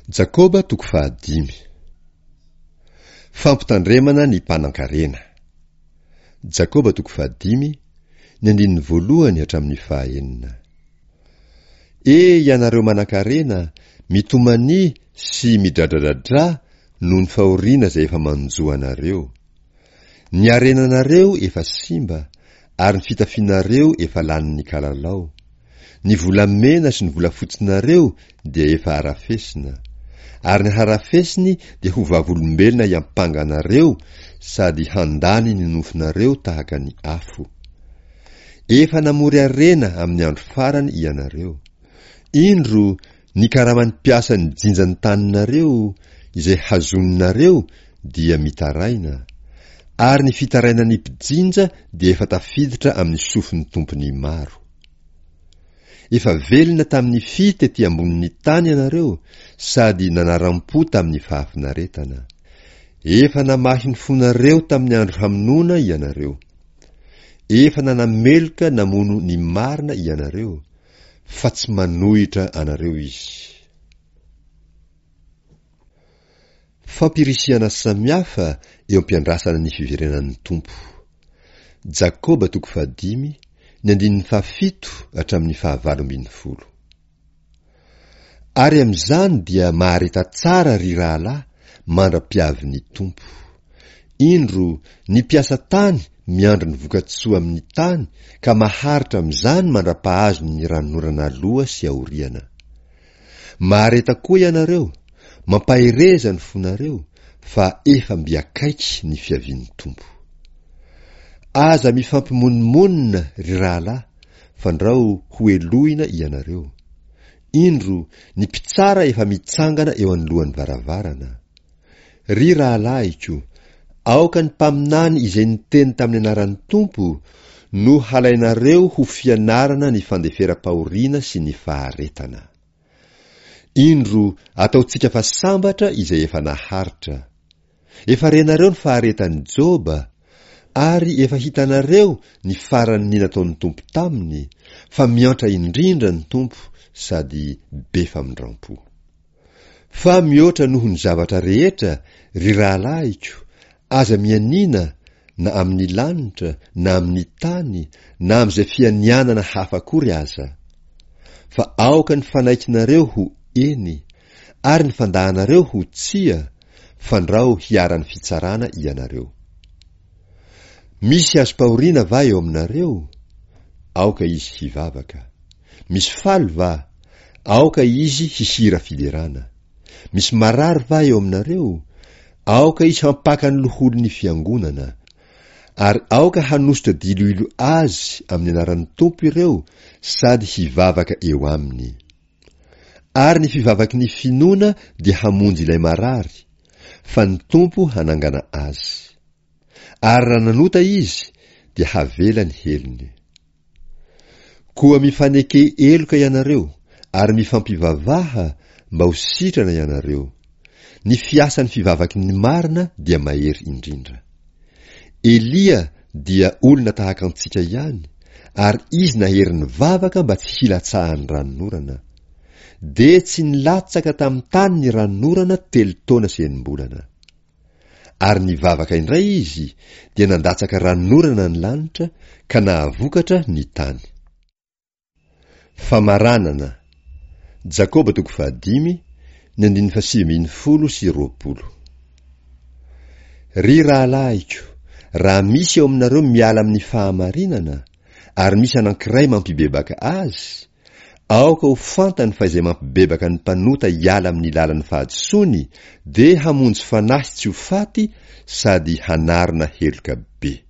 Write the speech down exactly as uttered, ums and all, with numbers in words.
Jakoba toko fahadimy. Fampitandremana ny mpanankarena. Jakoba toko fahadimy, ny andininy voalohany hatramin'ny fahaenina. E ianareo manankarena, mitomania sy midradradradrà noho ny fahoriana izay efa manjo anareo. Ny harenanareo efa simba, ary ny fitafianareo efa lanin'ny kalalao. Ny volamena sy ny volafotsinareo dia efa harafesina, ary ny harafesiny dia ho vavolombelona hiampanga anareo sady handany ny nofonareo tahaka ny afo. Efa namory harena amin'ny andro farany ianareo. Indro, ny karaman'ny mpiasa nijinja ny taninareo, izay hazoninareo, dia mitaraina, ary ny fitarainan'ny mpijinja dia efa tafiditra amin'ny sofin'ny tompon'ny maro. Efa velona tamin'ny fy tety ambonin'ny tany ianareo sady nanaram-po tamin'ny fahafinaretana. Efa namahy ny fonareo tamin'ny andro hamonoana ianareo. Efa nanameloka namono ny marina ianareo, fa tsy manohitra anareo izy. Fampirisihana samihafa eo am-piandrasana ny fiverenan'ny Tompo. Jakoba toko fahadimy, ny andininy fahafito hatramin'ny fahavalo ambin'ny folo. Ary amin'izany dia mahareta tsara ry rahalahy mandra-piavin'ny Tompo. Indro, ny mpiasa tany miandry ny vokatsoa amin'ny tany ka maharitra amin'izany mandra-pahazony ny ranonorana aloha sy aoriana. Mahareta koa ianareo, mampahereza ny fonareo, fa efa mby akaiky ny fiavian'ny Tompo. Aza mifampimonomonona ry rahalahy, fandrao hohelohina ianareo. Indro, ny mpitsara efa mitsangana eo anoloan'ny varavarana. Ry rahalahiko, aoka ny mpaminany izay niteny tamin'ny anaran'ny Tompo no halainareo ho fianarana ny fandeferam-pahoriana sy ny faharetana. Indro, ataontsika fa sambatra izay efa naharitra. Efa renareo ny faharetan'i Joba, ary efa hitanareo ny faran'ny nataon'ny Tompo taminy, fa miantra indrindra ny Tompo sady be famindram-po. Fa mihoatra noho ny zavatra rehetra, ry rahalahiko, aza mianiana na amin'ny lanitra na amin'ny tany na amin'izay fianianana hafa akory aza. Fa aoka ny fanaikinareo ho eny, ary ny fandahanareo ho tsia, fandrao hiharan'ny fitsarana ianareo. Misy azom-pahoriana va eo aminareo? Aoka izy hivavaka. Misy faly va? Aoka izy hihira fiderana. Misy marary va eo aminareo? Aoka izy hampaka ny loholon'ny fiangonana. Ary aoka hanosotra diloilo azy amin'ny anaran'ny Tompo ireo sady hivavaka eo aminy. Ary ny fivavaky ny finoana dia hamonjy ilay marary, fa ny Tompo hanangana azy. Ary raha nanota izy, dia havela ny helony. Koa mifaneke heloka ianareo, ary mifampivavaha mba ho sitrana ianareo. Ny fiasan'ny fivavaky ny marina dia mahery indrindra. Elia dia olona tahaka antsika ihany, ary izy nahery nivavaka mba tsy hilatsahan'ny ranonorana. Dia tsy nilatsaka tamin'ny tany ny ranonorana telo taona sy enim-bolana. Ary nivavaka indray izy, dia nandatsaka ranonorana ny lanitra, ka nahavokatra ny tany. Famaranana. Jakoba toko fahadimy, ny andininy fahasivy ambin'ny folo sy roapolo. Ry rahalahiko, raha misy eo aminareo miala amin'ny fahamarinana, ary misy anankiray mampibebaka azy, aoka ho fantany fa izay mampibebaka ny mpanota hiala amin'ny lalan'ny fahadisoany dia hamonjy fanahy tsy ho faty sady hanarona heloka be.